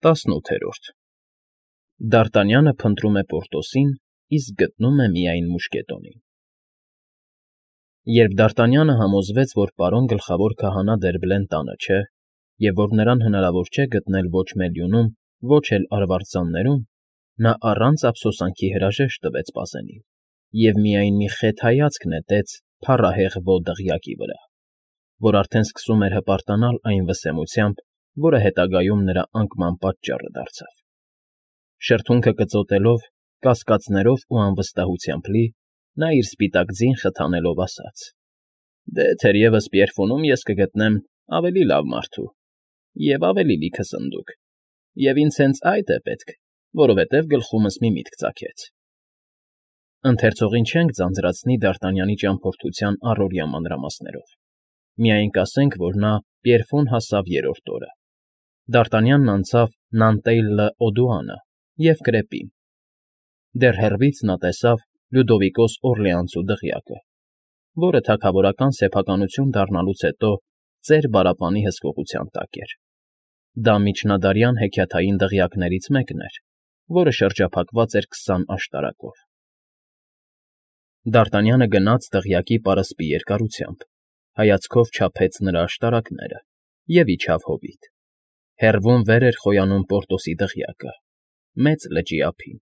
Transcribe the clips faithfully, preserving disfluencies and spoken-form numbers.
ՏԱՍՆՈՒԹԵՐՈՐԴ Դ'ԱՐՏԱՆՅԱՆԸ ՓՆՏՐՈՒՄ Է ՊՈՐՏՈՍԻՆ, ԻՍԿ ԳՏՆՈՒՄ Է ՄԻԱՅՆ ՄՈՒՇԿԵՏՈՆԻՆ Երբ Դ'ԱՐՏԱՆՅԱՆը համոզվեց, որ պարոն գլխավոր քահանա Դերբլեն տանը չէ, և որ նրան հնարավոր չէ գտնել ոչ Մելյունում, ոչ էլ Արվարձաններում, նա առանց ափսոսանքի հրաժեշտ տվեց պասենին և միայն մի խեթ հայացք նետեց փառահեղ Վո դղյակի վրա, որ արդեն սկսում էր հպարտանալ այն վսեմությամբ, որը հետագայում նրա անկման պատճառը դարձավ. շրթունքը կծոտելով, կասկածներով ու անվստահությամբ լի, նա իր սպիտակ ձին խթանելով ասաց. «Դե, թերևս Պիերֆոնում ես կգտնեմ ավելի լավ մարդու և ավելի լիքը սնդուկ, և ինձ հենց այդ է պետք, որովհետև գլխումս մի միտք ծագեց»։ Ընթերցողին չենք ձանձրացնի Դ'ԱՐՏԱՆՅԱՆի ճամփորդության առօրյա մանրամասներով, միայն կասենք, որ նա Պիերֆոն հասավ երրորդ օրը. Դ'ԱՐՏԱՆՅԱՆն անցավ Նանտեյլ լը Օդուանը և Կրեպին. դեռ հեռվից նա տեսավ Լյուդովիկոս Օռլեանցու դղյակը, որը թագավորական սեփականություն դառնալուց հետո ծեր պարապանի հսկողության տակ էր. դա միջնադարյան հեքիաթային դղյակներից մեկն էր, որը շրջափակված էր քսան աշտարակով։ Դ'ԱՐՏԱՆՅԱՆը գնաց դղյակի պարսպի երկարությամբ, հայացքով չափեց նրա աշտարակները և իջավ հովիտ. հեռվում վեր էր խոյանում Պորտոսի դղյակը, մեծ լճի ափին,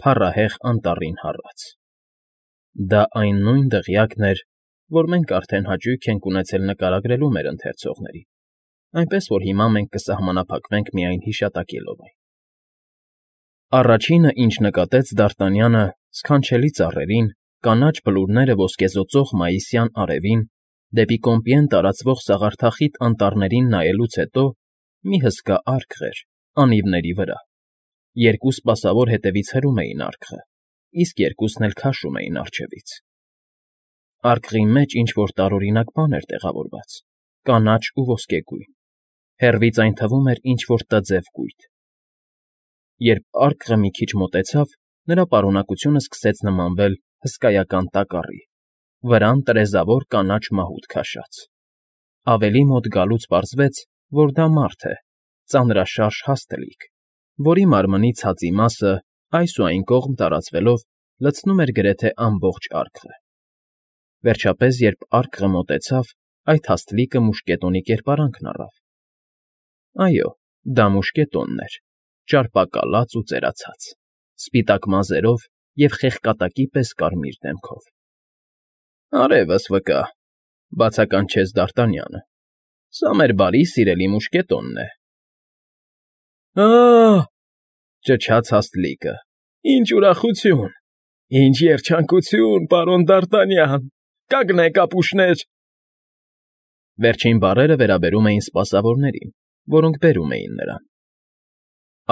փառահեղ անտառին հառած։ Դա այն նույն դղյակն էր, որ մենք արդեն հաճույք ենք ունեցել նկարագրելու մեր ընթերցողներին, այնպես որ հիմա մենք կսահմանափակվենք միայն հիշատակելով այն։ Առաջինը, ինչ նկատեց Դ'ԱՐՏԱՆՅԱՆը, սքանչելի ծառերին, կանաչ բլուրները ոսկեզօծող մայիսյան արևին, դեպի Կոմպիեն տարածվող սաղարթախիտ անտառներին նայելուց հետո մի հսկա արկղ էր անիվների վրա. երկու սպասավոր հետևից հրում էին արկղը, իսկ երկուսն էլ քաշում էին առջևից։ Արկղի մեջ ինչ֊որ տարօրինակ բան էր տեղավորված, կանաչ ու ոսկեգույն, հեռվից այն թվում էր ինչ֊որ տձև կույտ։ Երբ արկղը մի քիչ մոտեցավ, նրա պարունակությունը սկսեց նմանվել հսկայական տակառի, վրան տրեզավոր կանաչ մահուդ քաշած։ Ավելի մոտ գալուց պարզվեց, որ դա մարդ է, ծանրաշարժ հաստլիկ, որի մարմնի ցածի մասը, այս ու այն կողմ տարածվելով, լցնում էր գրեթե ամբողջ արկղը։ Վերջապես, երբ արկղը մոտեցավ, այդ հաստլիկը մուշկետոնի կերպարանքն առավ։ Այո, դա մուշկետոնն էր, ճարպակալած ու ծերացած, սպիտակ մազերով և խեղկատակի պես կարմիր դեմքով։ ֊ Արևս վկա,֊ բացականչեց Դ'ԱՐՏԱՆՅԱՆը,֊ սա մեր բարի սիրելի մուշկետոնն է։ ֊ Ա՜հ,֊ ճչաց հաստլիկը,֊ ինչ ուրախություն, ինչ երջանկություն, պարոն Դ'ԱՐՏԱՆՅԱՆ, կանգնեք, ապուշներ… Վերջին բառերը վերաբերում էին սպասավորներին, որոնք բերում էին նրան։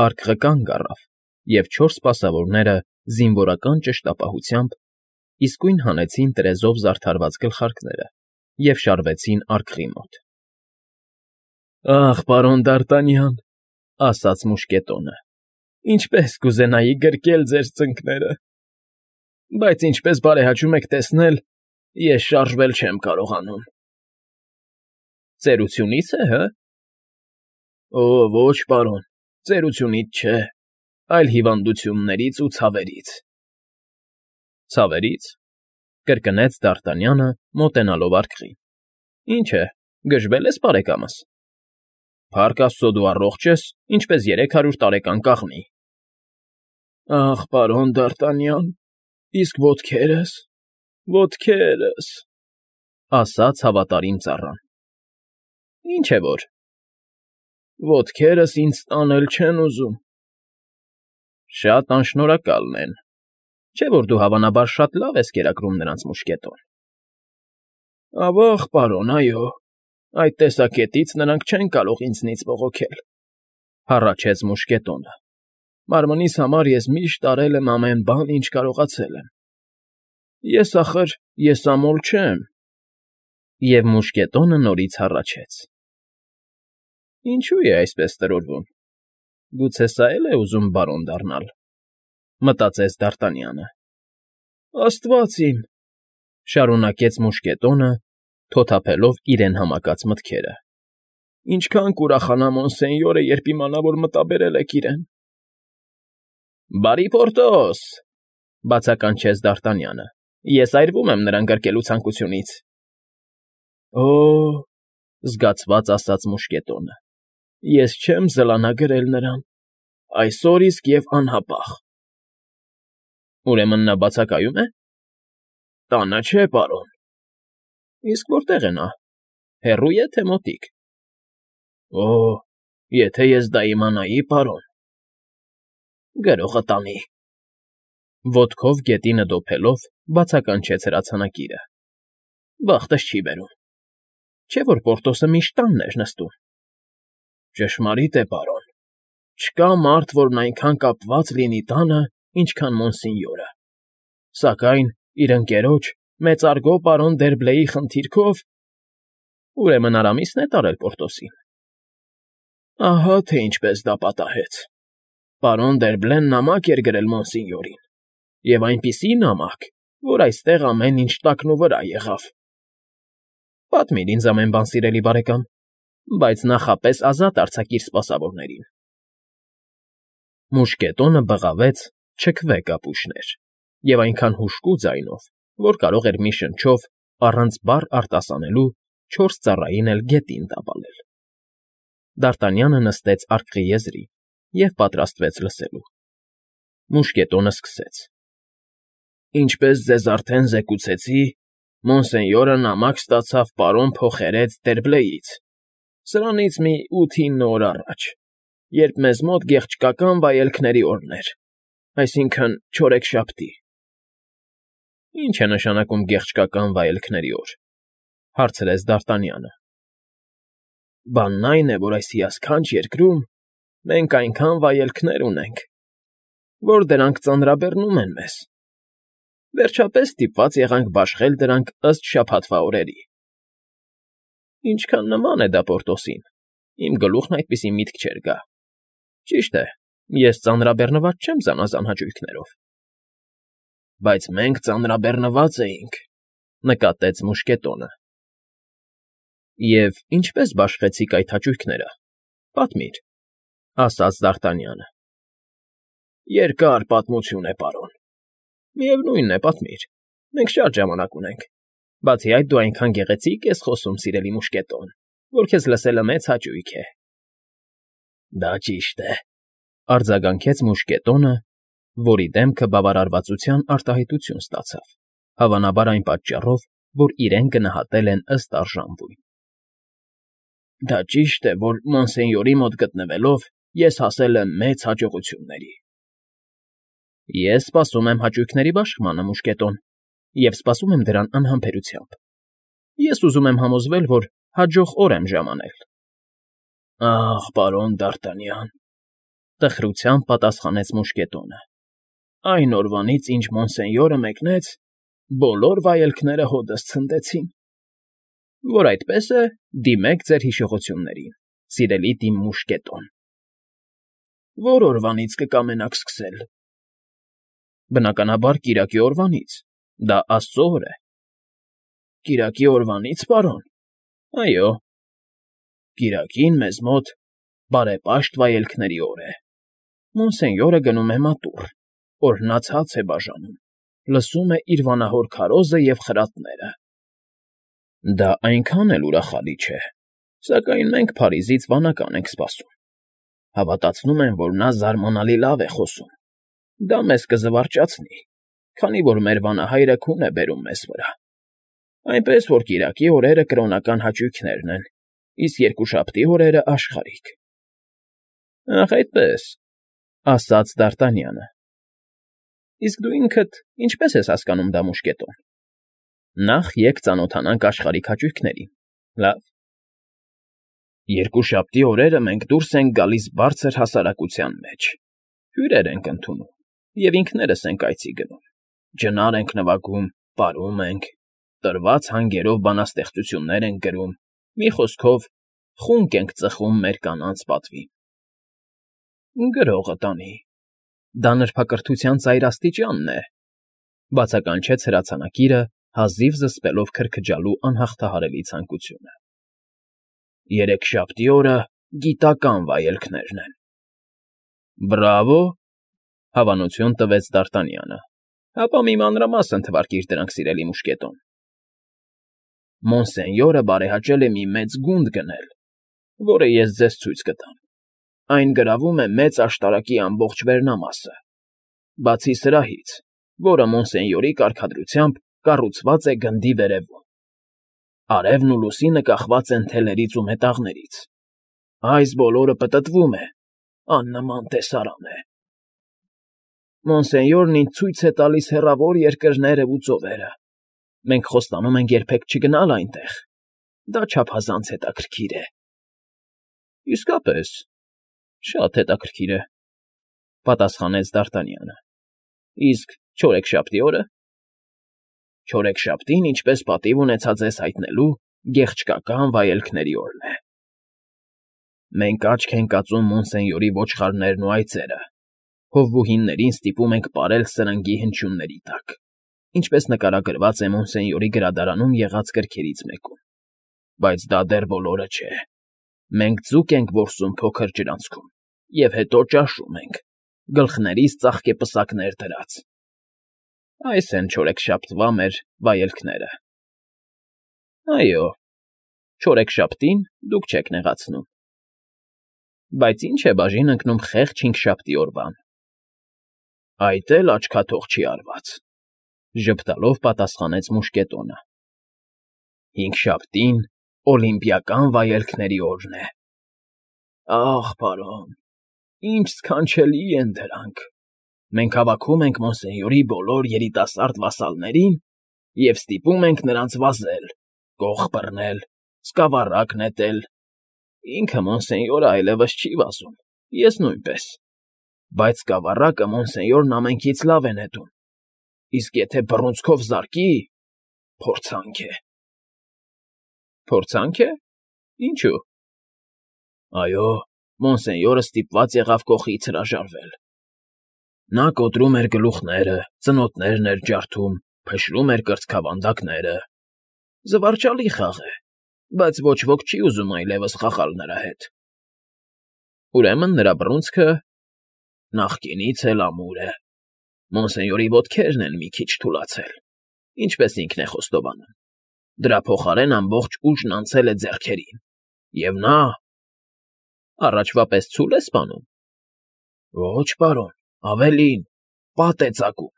Արկղը կանգ առավ, և չորս սպասավորները զինվորական ճշտապահությամբ իսկույն հանեցին տրեզով զարդարված գլխարկները և շարվեցին արկղի մոտ։ ֊ Ախ, պարոն Դ'ԱՐՏԱՆՅԱՆ,֊ ասաց մուշկետոնը,֊ ինչպես կուզենայի գրկել ձեր ծնկները, բայց ինչպես բարեհաճում եք տեսնել, ես շարժվել չեմ կարողանում։ ֊ Ծերությունի՞ց է, հը։ ֊ Օ, ոչ, պարոն, ծերությունից չէ, այլ հիվանդություններից ու ցավերից։ ֊ Ցավերի՞ց,֊ կրկնեց Դ'ԱՐՏԱՆՅԱՆը, մոտենալով արկղին։ ֊ Ինչ է, գժվել ես, բարեկամս։ ֊ Փառք աստծո, դու առողջ ես, ինչպես երեք հարյուր տարեկան կաղնի։ ֊ Ախ, պարոն Դ'ԱՐՏԱՆՅԱՆ, իսկ ոտքերս, ոտքերս…֊ ասաց հավատարիմ ծառան։ ֊ Ինչ է որ։ ֊ Ոտքերս ինձ տանել չեն ուզում։ ֊ Շատ անշնորհակալն են, չէ՞ որ դու հավանաբար շատ լավ ես կերակրում նրանց մուշկետոն։ ֊ Ավա՜ղ, պարոն, այո, այդ տեսակետից նրանք չեն կարող ինձնից բողոքել,֊ հառաչեց մուշկետոնը,֊ մարմնիս համար ես միշտ արել եմ ամեն բան, ինչ կարողացել եմ։ Ես, ախր, եսամոլ չեմ… Եվ մուշկետոնը նորից հառաչեց։ ֊ Ինչո՞ւ է այսպես տրորվում, գուցե սա էլ է ուզում բարոն դառնալ,֊ մտածեց Դ'ԱՐՏԱՆՅԱՆը։ ֊ Աստված իմ,֊ շարունակեց մուշկետոնը, թոթափելով իրեն համակած մտքերը,֊ Ինչքան կուրախանա Մոնսենյորը, երբ իմանա, որ մտաբերել եք իրեն։ ֊ Բարի Պորտոս,֊ բացականչեց Դ'Արտանյանը։֊ Ես այրվում եմ նրան գրկելու ցանկությունից։ ֊ Օ՜,֊ զգացված ասաց մուշկետոնը,֊ ես չեմ զլանա գրել նրան, այսօր իսկ և անհապաղ։ ֊ Ուրեմն նա բացակայո՞ւմ է։ ֊ Տանը չէ, պարոն։ ֊ Իսկ որտե՞ղ է նա, հեռո՞ւ է, թե մոտիկ։ ֊ Օ՜, եթե ես դա իմանայի, պարոն… ֊ Գրողը տանի…֊ Ոտքով գետինը դոփելով՝ բացականչեց հրացանակիրը։ ֊ Բախտս չի բերում։ Չէ՞ որ Պորտոսը միշտ տանն էր նստում։ ֊ Ճշմարիտ է, պարոն, չկա մարդ, որն այնքան կապված լինի տանը, ինչքան Մոնսենյորը, սակայն իր ընկերոջ՝ մեծարգո պարոն Դերբլեի խնդիրքով… Ուրեմն Արամիսն է տարել Պորտոսին։ ֊ Ահա թե ինչպես դա պատահեց. պարոն Դերբլեն նամակ էր գրել Մոնսենյորին, և այնպիսի նամակ, որ այստեղ ամեն ինչ տակնուվրա եղավ։ ֊ Պատմիր ինձ ամեն բան, սիրելի բարեկամ, բայց նախապես ազատ արձակիր սպասավորներին։ Մուշկետոնը բղավեց «չքվե՛, կապուշներ» և այնքան հուժկու ձայնով, որ կարող էր մի շնչով, առանց բառ արտասանելու, չորս ծառային էլ գետին տապալել։ Դ'Արտանյանը նստեց արկղի եզրին և պատրաստվեց լսելու։ Մուշկետոնը սկսեց. ֊ Ինչպես ձեզ արդեն զեկուցեցի, Մոնսենյորը նամակ ստացավ պարոն փոխերեց Դերբլեից, սրանից մի ութ֊հինգ օր առաջ, երբ մեզ մոտ գեղեցկական վայելքների օրն էր, այսինքն՝ չորեքշաբթի։ ֊ Ի՞նչ է նշանակում գեղեցկական վայելքների օր,֊ հարցրեց Դ'Արտանյանը։ ֊ Բանն այն է, որ այս հիասքանչ երկրում մենք այնքան վայելքներ ունենք, որ դրանք ծանրաբեռնում են մեզ. վերջապես ստիպված եղանք բաշխել դրանք ըստ շաբաթվա օրերի։ ֊ Ինչքան նման է դա Պորտոսին, իմ գլուխն այդպիսի միտք չէր գա։ Ճիշտ է, ես ծանրաբեռնված չեմ զանազան հաճույքներով։ ֊ Բայց մենք ծանրաբեռնված էինք,֊ նկատեց մուշկետոնը։ ֊ Եվ ինչպե՞ս բաշխեցիք այդ հաճույքները, պատմիր,֊ ասաց Դ'Արտանյանը։ ֊ Երկար պատմություն է, պարոն։ Միևնույն է, պատմիր, մենք շատ ժամանակ ունենք, բացի այդ դու այնքան գեղեցիկ ես խոսում, սիրելի մուշկետոն, որ քեզ լսելը մեծ հաճույք է։ ֊ Դա ճիշտ է,֊ արձագանքեց մուշկետոնը, որի դեմքը բավարարվածության արտահայտություն ստացավ, հավանաբար այն պատճառով, որ իրեն գնահատել են ըստ արժանվույն։ ֊ Դա ճիշտ է, որ Մոնսենյորի մոտ գտնվելով ես հասել եմ մեծ հաջողությունների։ ֊ Ես սպասում եմ հաճույքների բաշխմանը, մուշկետոն, և սպասում եմ դրան անհամբերությամբ։ Ես ուզում եմ համոզվել, որ հաջող օր եմ ժամանել։ ֊ Ախ, պարոն Դ'Արտանյան,֊ տխրությամբ պատասխանեց մուշկետոնը,֊ այն օրվանից, ինչ Մոնսենյորը մեկնեց, բոլոր վայելքները հօդս ցնդեցին։ Որ այդպես է, դիմեք ձեր հիշողություններին, սիրելի տին մուշկետոն։ ֊ Ո՞ր օրվանից կկամենաք սկսել։ ֊ Բնականաբար, կիրակի օրվանից, դա աստծո օր է։ ֊ Կիրակի օրվանից, պարոն։ ֊ Այո։ ֊ Կիրակին մեզ մոտ բարեպաշտ վայելքների օր է։ Մոնսենյորը գնում է մատուռ, օրհնած հաց է բաժանում, լսում է իր վանահոր քարոզը և խրատները։ ֊ Դա այնքան էլ ուրախալի չէ, սակայն մենք Փարիզից վանական ենք սպասում։ Հավատացնում եմ, որ նա զարմանալի լավ է խոսում։ Դա մեզ կզվարճացնի, քանի որ մեր վանահայրը քուն է բերում մեզ վրա։ Այնպես որ կիրակի օրերը կրոնական հաճույքներն են, իսկ երկուշաբթի օրերը՝ աշխարհիկ։ ֊ Ախ, այդպե՜ս,֊ ասաց Դ'Արտանյանը։ ֊ Իսկ դու ինքդ ինչպե՞ս ես հասկանում դա, մուշկետոն։ Նախ եկ ծանոթանանք աշխարհիկ հաճույքներին, լա՞վ։ ֊ Երկուշաբթի օրերը մենք դուրս ենք գալիս բարձր հասարակության մեջ, հյուրեր ենք ընդունում և ինքներս ենք այցի գնում, ջնար ենք նվագում, պարում ենք, տրված հանգերով բանաստեղծություններ ենք գրում, մի խոսքով, խունկ ենք ծխում մեր կանանց պատվին։ ֊ Գրողը տանի։ Դա նրբակրթության ծայրաստիճանն է,֊ բացականչեց հրացանակիրը, հազիվ զսպելով քրքջալու անհաղթահարելի ցանկությունը։ Երեքշաբթի օրը գիտական վայելքներն են։ ֊ Բրավո,֊ հավանություն տվեց Դ'Արտանյանը։֊ Հապա մի մանրամասն թվարկիր դրանք, սիրելի մուշկետոն։ ֊ Մոնսենյորը բարեհաճել է մի մեծ գունդ գնել, որը ես ձեզ ցույց կտամ. այն գրավում է մեծ աշտարակի ամբողջ վերնամասը, բացի սրահից, որը մոնսենյորի կարգադրությամբ կառուցված է գնդի վերևում. արևն ու լուսինը կախված են թելերից ու մետաղներից։ Այս բոլորը պտտվում է, աննման տեսարան է։ Մոնսենյորն ինձ ցույց է տալիս հեռավոր երկրներն ու ծովերը։ Մենք խոստանում ենք երբեք չգնալ այնտեղ. դա չափազանց հետաքրքիր է։ ֊ Իսկապես, շատ հետաքրքիր է,֊ պատասխանեց Դ'Արտանյանը։ ֊ Իսկ չորեքշաբթի օրը։ ֊ Չորեքշաբթին, ինչպես պատիվ ունեցա ձեզ հայտնելու, գեղչկական վայելքների օրն է։ Մենք աչք ենք ածում Մոնսենյորի ոչխարներն ու այծերը, հովվուհիներին ստիպում ենք պարել սրնգի հնչյունների տակ, ինչպես նկարագրված է Մոնսենյորի գրադարանում եղած գրքերից մեկում։ Բայց դա դեռ բոլորը չէ։ Մենք ձուկ ենք որսում փոքր ջրանցքում և հետո ճաշում ենք, գլխներիս ծաղկեպսակներ դրած։ Այս են չորեքշաբթվա մեր վայելքները։ ֊ Այո, չորեքշաբթին դուք չեք նեղացնում։ ֊ Բայց ի՞նչ է բաժին ընկնում խեղճ հինգշաբթի օրվան։ ֊ Այդ էլ աչքաթող չի արված,֊ ժպտալով պատասխանեց մուշկետոնը։ ֊ Հինգշաբթին օլիմպիական վայելքների օրն է։ Ախ, պարոն, ինչ սքանչելի են դրանք… Մենք հավաքում ենք Մոնսենյորի բոլոր երիտասարդ վասալներին և ստիպում ենք նրանց վազել, կող բռնել, սկավառակ նետել… Ինքը Մոնսենյորը այլևս չի վազում, ես նույնպես, բայց սկավառակը Մոնսենյորն ամենքից լավ է նետում, իսկ եթե բռունցքով զարկի… փորձանք է։ ֊ Փորձանք է… Ինչո՞ւ։ ֊ Այո, Մոնսենյորը ստիպված եղավ կողից հրաժարվել։ Նա կոտրում էր գլուխները, ծնոտներն էր ջարդում, փշրում էր կրծքավանդակները… Զվարճալի խաղ է, բայց ոչ ոք չի ուզում այլևս խաղալ նրա հետ։ ֊ Ուրեմն նրա բռունցքը… նախկինից էլ ամուր է… Մոնսենյորի ոտքերն են մի քիչ թուլացել, ինչպես ինքն է խոստովանում, դրա փոխարեն ամբողջ ուժն անցել է ձեռքերին, և նա… Առաջվա պես ցո՞ւլ է սպանում։ ֊ Ոչ, պարոն, ավելին, պատ է ծակում…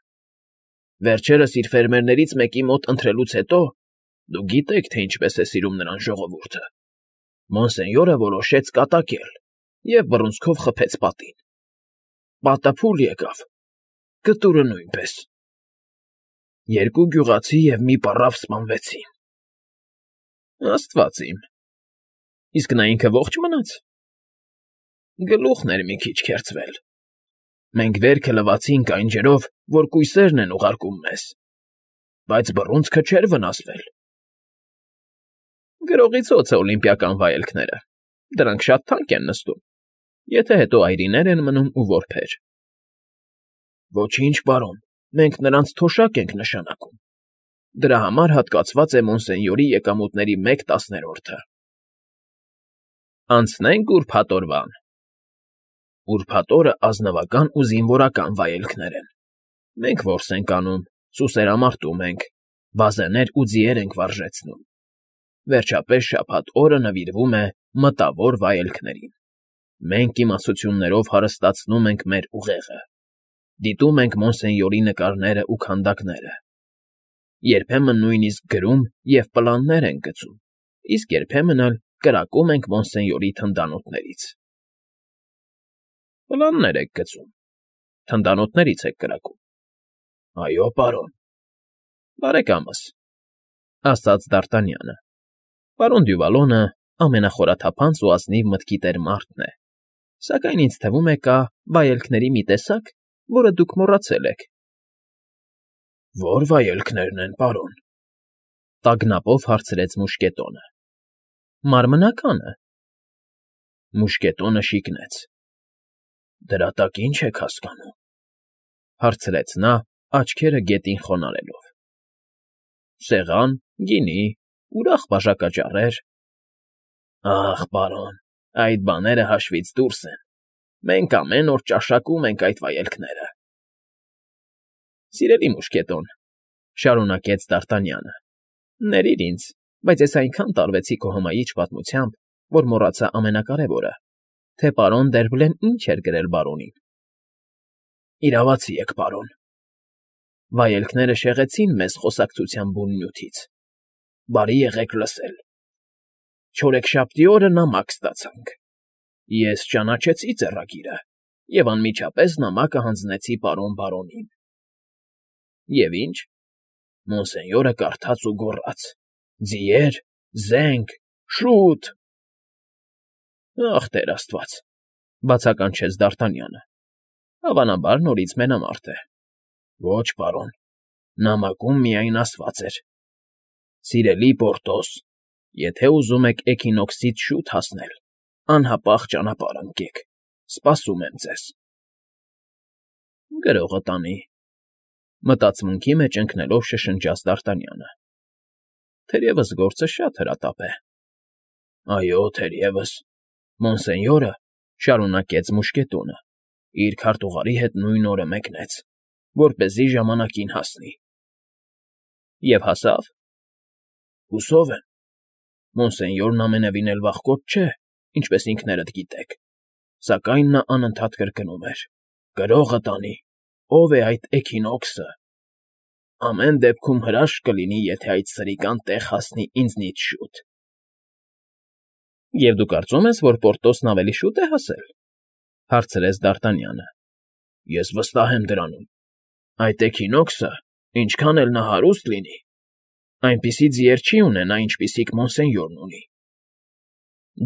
Վերջերս իր ֆերմերներից մեկի մոտ ընթրելուց հետո (դուք գիտեք, թե ինչպես է սիրում նրան ժողովուրդը) Մոնսենյորը որոշեց կատակել և բռունցքով խփեց պատին։ Պատը փուլ եկավ, կտուրը նույնպես… Երկու գյուղացի և մի պառավ սպանվեցին։ ֊ Աստված իմ… Իսկ նա ինքը ո՞ղջ մնաց։ ֊ Գլուխն էր մի քիչ քերծվել։ Մենք վերքը լվացինք այն ջրով, որ կույսերն են ուղարկում մեզ, բայց բռունցքը չէր վնասվել։ ֊ Գրողից ո՞ց է օլիմպիական վայելքները, դրանք շատ թանկ են նստում, եթե հետո այրիներ են մնում ու որբեր։ ֊ Ոչինչ, պարոն, մենք նրանց թոշակ ենք նշանակում, դրա համար հատկացված է Մոնսենյորի եկամուտների մեկ տասներորդը։ ֊ Անցնենք ուրբաթ օրվան։ ֊ Ուրբաթ օրը ազնվական ու զինվորական վայելքներ են։ Մենք որս ենք անում, սուսերամարտում ենք, բազեներ ու ձիեր ենք վարժեցնում։ Վերջապես շաբաթ օրը նվիրվում է մտավոր վայելքներին։ Մենք իմացություններով հարստացնում ենք մեր ուղեղը, դիտում ենք Մոնսենյորի նկարներն ու քանդակները, երբեմն նույնիսկ գրում և պլաններ ենք գծում, իսկ երբեմն էլ կրակում ենք Մոնսենյորի թնդանոթներից։ ֊ Պլաններ եք գծում, թնդանոթների՞ց եք կրակում։ ֊ Այո, պարոն։ ֊ Բարեկամս,֊ ասաց Դ'Արտանյանը,֊ պարոն Դյուվալոնը ամենախորաթափանց ու ազնիվ մտքի տեր մարդն է, սակայն ինձ թվում է կա վայելքների մի տեսակ, որը դուք մոռացել եք։ ֊ Ո՞ր վայելքներն են, պարոն,֊ տագնապով հարցրեց մուշկետոնը։ ֊ Մարմնականը։ Մուշկետոնը շիկնեց։ ֊ Դրա տակ ի՞նչ եք հասկանում,֊ հարցրեց նա, աչքերը գետին խոնարհելով։ ֊ Սեղան, գինի, ուրախ բաժակաճառեր… Ախ, պարոն, այդ բաները հաշվից դուրս են։ Մենք ամեն օր ճաշակում ենք այդ վայելքները։ Սիրելի մուշկետոն,֊ շարունակեց Դ'Արտանյանը,֊ ներիր ինձ, բայց ես այնքան տարվեցի քո հմայիչ պատմությամբ, որ մոռացա ամենակարևորը, թե պարոն Դերբլեն ինչ էր գրել բարոնին։ Իրավացի եք, պարոն։ Վայելքները շեղեցին մեզ խոսակցության բուն նյութից։ Բարի եղեք լսել։ Չորեքշաբթի օրը նամակ ստացանք։ Ես ճանաչեցի ձեռագիրը և անմիջապես նամակը հանձնեցի պարոն բարոնին։ Եվ ինչ, մոնսենյորը կարդաց ու գոռաց. «Ձիեր, զենք, շո՛ւտ»։ Ախ, Տեր աստված,֊ բացականչեց Դ'Արտանյանը,֊ հավանաբար նորից մենամարտ է։ Ոչ, պարոն, նամակում միայն ասված էր. «Սիրելի Պորտոս, եթե ուզում եք էքինոքսից շուտ հասնել, անհապաղ ճանապարհ ընկեք, սպասում եմ ձեզ»։ Գրողը տանի,֊ մտածմունքի մեջ ընկնելով շշնջաց Դ'Արտանյանը։ Թերևս գործը շատ հրատապ է։ Այո, թերևս, մոնսենյորը,֊ շարունակեց մուշկետոնը,֊ իր քարտուղարի հետ նույն օրը մեկնեց, որպեսզի ժամանակին հասնի։ Եվ հասավ։ Հուսով եմ։ Մոնսենյորն ամենևին էլ վախկոտ չէ, ինչպես ինքներդ գիտեք, սակայն նա անընդհատ կրկնում էր. «Գրողը տանի, ով է այդ էքինոքսը։ Ամեն դեպքում հրաշք կլինի, եթե այդ սրիկան տեղ հասնի ինձնից շուտ»։ Եվ դու կարծում ես, որ Պորտոսն ավելի շուտ է հասել,֊ հարցրեց Դ'Արտանյանը։ Ես վստահ եմ դրանում։ Այդ էքինոքսը, ինչքան էլ նա հարուստ լինի, այնպիսի ձիեր չի ունենա, ինչպիսիք մոնսենյորն ունի։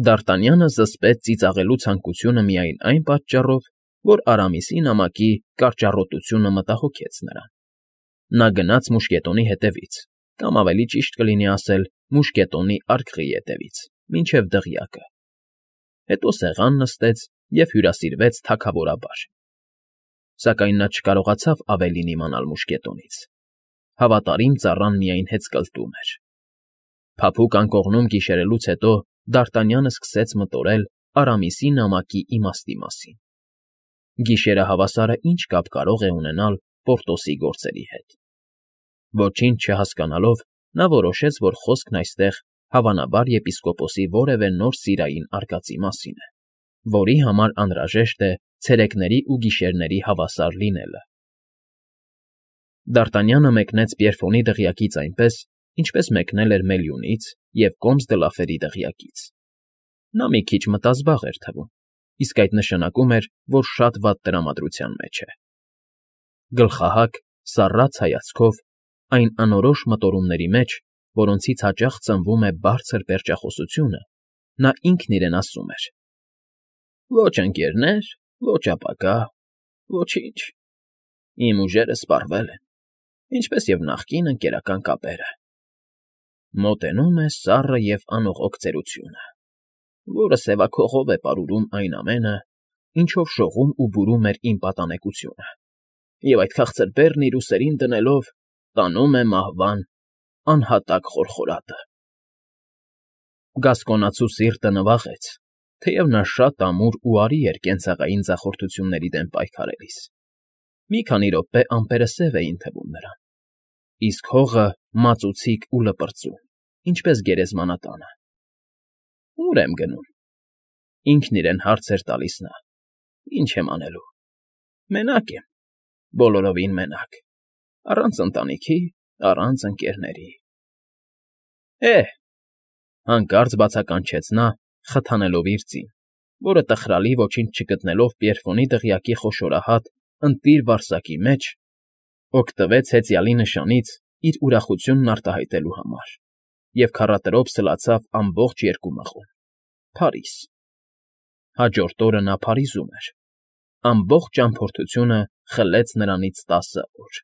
Դ'Արտանյանը զսպեց ծիծաղելու ցանկությունը միայն այն պատճառով, որ Արամիսի նամակի կարճառոտությունը մտահոգեց նրան։ Նա գնաց մուշկետոնի հետևից, կամ ավելի ճիշտ կլինի ասել մուշկետոնի արկղի ետևից, մինչև դղյակը։ Հետո սեղան նստեց և հյուրասիրվեց թագավորաբար։ Սակայն նա չկարողացավ ավելին իմանալ մուշկետոնից։ Հավատարիմ ծառան միայն հեծկլտում էր։ Փափուկ անկողնում գիշերելուց հետո Դ'Արտանյանը սկսեց մտորել Արամիսի նամակի իմաստի մասին։ Գիշերը հավասարը ինչ կապ կարող է ունենալ Պորտոսի գործերի հետ։ Ոչինչ չհասկանալով, նա որոշեց, որ խոսքն այստեղ հավանաբար եպիսկոպոսի որևէ նոր սիրային արկածի մասին է, որի համար անհրաժեշտ է ցերեկների ու գիշերների հավասար լինելը։ Դ'Արտանյանը մեկնեց Պիերֆոնի դղյակից այնպես, ինչպես մեկնել էր Մելյունից և Կոմս դը Լաֆերի դղյակից։ Նա մի քիչ մտազբաղ էր թվում, իսկ այդ նշանակում էր, որ շատ վատ տրամադրության մեջ է։ Գլխահակ, սառած հայացքով, այն անորոշ մտորումների մեջ, որոնցից հաճախ ծնվում է բարձր պերճախոսությունը, նա ինքն իրեն ասում էր. «Ոչ ընկերներ, ոչ ապագա, ոչինչ։ Իմ ուժերը սպառվել են, ինչպես և նախկին ընկերական կապերը։ Մոտենում է սառը և անողոք ծերությունը, որը սևաքողով է պարուրում այն ամենը, ինչով շողում ու բուրում էր իմ պատանեկությունը, և այդ քաղցր բեռն իր ուսերին դնելով տանում է մահվան անհատակ խորխորատը»։ Գասկոնացու սիրտը նվաղեց, թեև նա շատ ամուր ու արի էր կենցաղային ձախորդությունների դեմ պայքարելիս։ Մի քանի րոպե ամպերը սև էին թվում նրան, իսկ հողը մածուցիկ ու լպրծուն, ինչպես գերեզմանատանը։ Ո՞ւր եմ գնում,֊ ինքն իրեն հարց էր տալիս նա։ Ինչ եմ անելու։ Մենակ եմ, բոլորովին մենակ, առանց ընտանիքի, առանց ընկերների։ Է՛հ,֊ հանկարծ բացականչեց նա, խթանելով իր ձին, որը տխրալի ոչինչ չգտնելով Պիերֆոնի դղյակի խոշորահատ, ընտիր վարսակի մեջ, օգտվեց հեծյալի նշանից իր ուրախությունն արտահայտելու համար և քառատրոփ սլացավ ամբողջ երկու մղոն՝ Փարիզ։ Հաջորդ օրը նա Փարիզում էր։ Ամբողջ ճամփորդությունը խլեց նրանից տասը օր։